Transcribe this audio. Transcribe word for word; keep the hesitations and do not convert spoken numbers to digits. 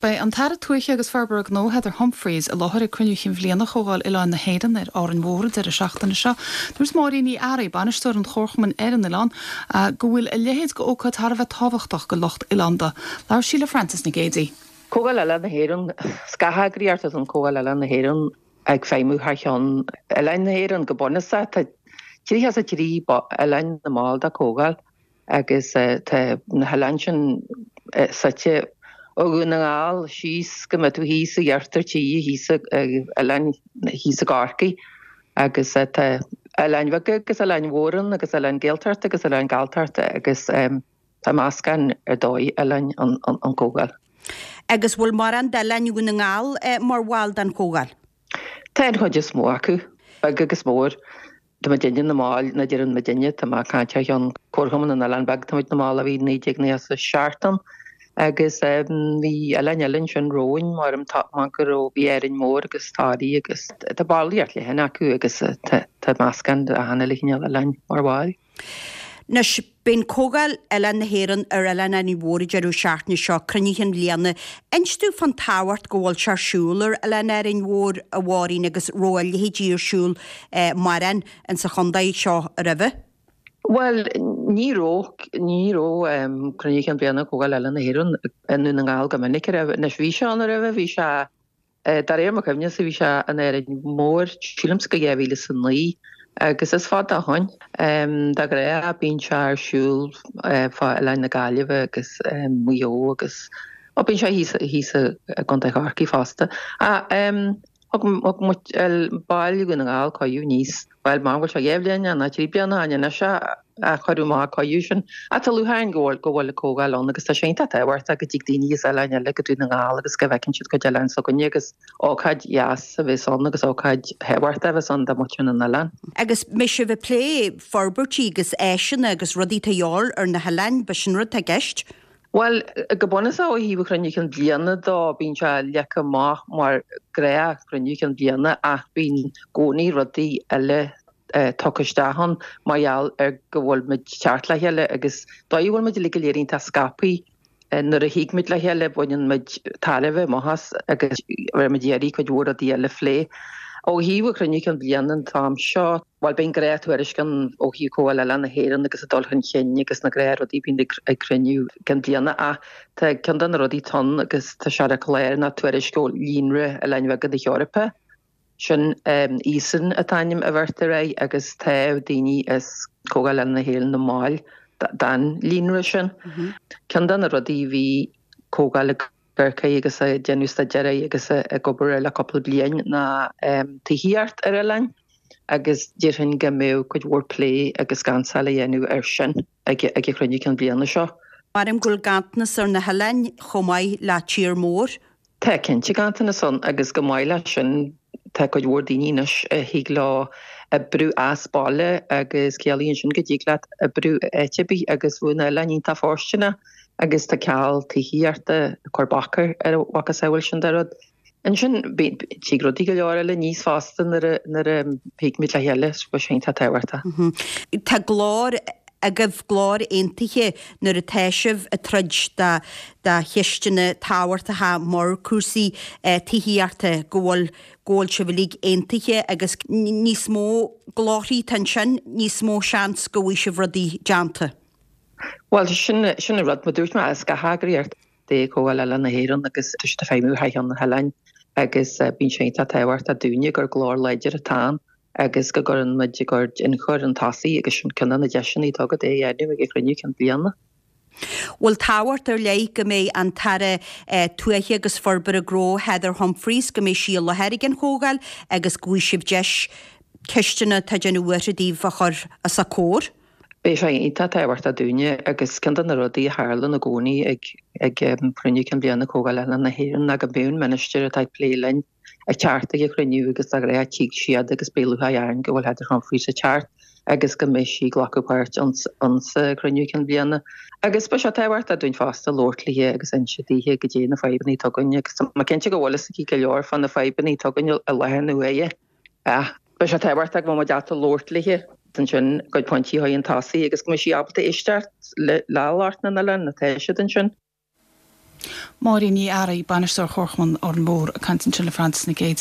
Beidh an tAire Tuaithe agus Forbartha Gnó Heather Humphreys i láthair ag cruinniú Chinn Bhliana Chomhdháil Oileáin na hÉireann ar Árainn Mhór an deireadh seachtaine seo. Dúirt Máirín Ní Fhearraigh, bainisteoir an Chomharchumainn ar an oileán, go bhfuil a leithéid d'ócáid thar a bheith tábhachtach do lucht oileánda. Labhair sí le Frances Nic Géadaigh. Comhdháil Oileáin na hÉireann, Scátheagraíocht an Comhdháil Oileáin na hÉireann ag feidhmiú thar cheann Oileáin na hÉireann go bunúsach tá tríocha a trí oileáin ina mball de Comhdháil agus tá na hoileáin sin suite ó Dhún na nGall síos go mbeidh tú thíos i iarthar tíre thíos oileáin thíos i gCorcaigh agus tá oileáin bheaga agus oileáin mhóra agus oileáin Gaeltachta agus oileáin Galltachta agus tá meascán ar dóigh oileáin an an Comhdháil. Agus bhfuil mórán d'oileáin Dhún na nGall mar bhall den Chomhdháil? Tá an chuid is mó acu, beag agus mór. Tá muidinne ina mbaill, ná deireann muidinne, tá mé ag caint thar cheann Comharchumann na nOileán Beag, tá muid ina mball ó bhí naoi déag nócha a seacht ann agus bhí oileáin eile ansin romhainn mar mar go raibh bhí Árainn Mhór agus Toraigh agus tá ballraíocht leathan acu agus tá tá meascán de achan uile chineál oileáin mar bhaill. Anois, beidh an Comhdháil Oileáin na hÉireann ar Oileán Árainn Mhór an deireadh seachtaine seo, cruinniú Chinn Bhliana. Inis domh fán tábhacht go bhfuil sé ar siúl ar Oileán Árainn Mhór, a Mháirín, agus raibh a leithéidí ar siúl mórán insa chontae seo roimhe? Bhuel, ní raibh, ní raibh cruinniú Chinn Bhliana Comhdháil Oileáin na hÉireann i nDún na nGall go minic roimhe. Anois bhí sé ann roimhe, bhí sé De réir mo chuimhne-sa bhí sé in Árainn Mhór, sílimse go dhá mhíle is a naoi agus is fada ó shoin. De ghnáth bíonn sé ar siúl fá Oileáin na Gaillimhe agus Maigh Eo agus ó bíonn sé thíos thíos i gContae Chorcaí fosta. Ach thug thug muid baill Dhún na nGall cuireadh aníos, bhuel mar bhfuil sé dhá bhliain nó trí bliana ó shoin anois a cuireadh amach an cuireadh sin. Ach tá lúcháir orainn go bhfuil go bhfuil an comhdháil ann agus tá sé iontach tábhachtach go dtig daoine as oileáin eile go Dún na nGall agus go bhfeiceann siad cuid oileáin s'againne agus ócáid dheas a bheas ann agus ócáid thábhachtach a bheas ann do mhuintir na n-oileán. Agus mbeidh sibh ag plé forbairtí agus áiseanna agus rudaí atá de dhíobháil ar na hoileáin, b'shin rud atá i gceist? Bhuel, go bunúsach ó thaobh an chruinniú cinn bliana dó, bíonn sé leagtha amach mar ghnáthchruinniú cinn bliana ach bíonn i gcónaí rudaí eile tugtha isteach ann mar gheall ar go bhfuil muid teacht le chéile agus dóigh a bhfuil muid uilig go léir iontach scaipthe nuair a thig muid le chéile baineann muid tairbhe amach as agus bheidh muid ag iarraidh cuid mhór rudaí eile a phlé. Ó thaobh an chruinniú cinn bliana an t-am seo, bhuel beidh an gnáth-tuairisc ann ó thaobh Comhdháil Oileáin na hÉireann agus an dul chun cinn agus na gnáthrudaí a bhíonn ag cruinniú cinn bliana ach tá ceann de na rudaí atá ann agus tá sé ar an chlár ná tuairisc ó Líonra Oileáin Bheaga na hEorpa. Sin EASON an t-ainm a bheirtear air agus tá daoine as Comhdháil Oileáin na hÉireann ina mbaill den líonra sin. Ceann de na rudaí a bhí Comhdháil ag amharc air agus ag déanamh staidéir air agus ag obair air le cúpla bliain ná tithíocht ar oileáin agus déarfainn go mbeadh cuid mhór plé agus ganntáil a dhéanamh air sin ag an chruinniú cinn bliana seo. Maram go bhfuil ganntanas ar na hoileáin chomh maith le tír mór. Tá cinnte ganntanas ann agus chomh maith leis sin tá cuid mhór daoine anois a thig leo oibriú as baile agus ciallaíonn sin go dtig leat oibriú áit ar bith agus bheadh na hoileáin iontach fóirsteanach agus tá ceal tithíochta ag cur bac ar a mhacasamhail sin de rud. Ansin tig rudaí go leor eile aníos fosta nuair a nuair a thig muid le chéile, so sin atá tábhachtach. Tá glór agaibh, glór aontaithe nuair atá sibh ag troid do do cheisteanna tábhachtacha mar cúrsaí tithíochta, go bhfuil go bhfuil sibh uilig aontaithe agus níos mó glórthaí atá ansin, níos mó seans go bhfaighidh sibh rudaí déanta. Bhuel, sin sin an rud, mar dúirt mé, is scátheagraíocht é Comhdháil Oileáin na hÉireann agus tá siad ag feidhmiú thar cheann na hoileáin agus bíonn sé iontach tábhachtach dúinne gur glór láidir atá ann agus go gcuireann muid ár gcuid ionchur chun tosaigh agus sin ceann de na deiseanna atá agat é a dhéanamh ag an chruinniú cinn bliana. Bhfuil tábhacht ar leith go mbeidh an tAire Tuaithe agus Forbartha Gnó Heather Humphreys, go mbeidh sí i láthair ag an chomhdháil agus go bhfaighidh sibh deis ceisteanna atá ag déanamh buartha daoibh a chur os a comhair? Beidh sé iontach tábhachtach dúinne agus ceann de na rudaí a tharlann i gcónaí ag ag cruinniú cinn bliana Comhdháil Oileáin na hÉireann ná go mbíonn ministir atá ag plé linn ag teacht ag an chruinniú agus de ghnáth tig siad agus beidh lúcháir orainn go bhfuil Heather Humphreys ag teacht agus go mbeidh sí ag glacadh páirt insa chruinniú cinn bliana. Agus beidh sé tábhachtach dúinn fosta labhairt léithe agus inse daoithe goidé na fadhbanna atá againn agus tá mé cinnte go bhfuil fhios aici go leor fá na fadhbanna atá againn i láthair na huaire. Ach beidh sé tábhachtach go mbeidh muid ábalta labhairt léithe ansin, a gcuid pointí a chur chun tosaigh agus go mbeidh sí ábalta éisteacht le le lucht na n-oileán atá siad ansin. Máirín Ní Fhearraigh, bainisteoir Chomharchumann Árainn Mhór ag caint ansin le Frances Nic Géadaigh.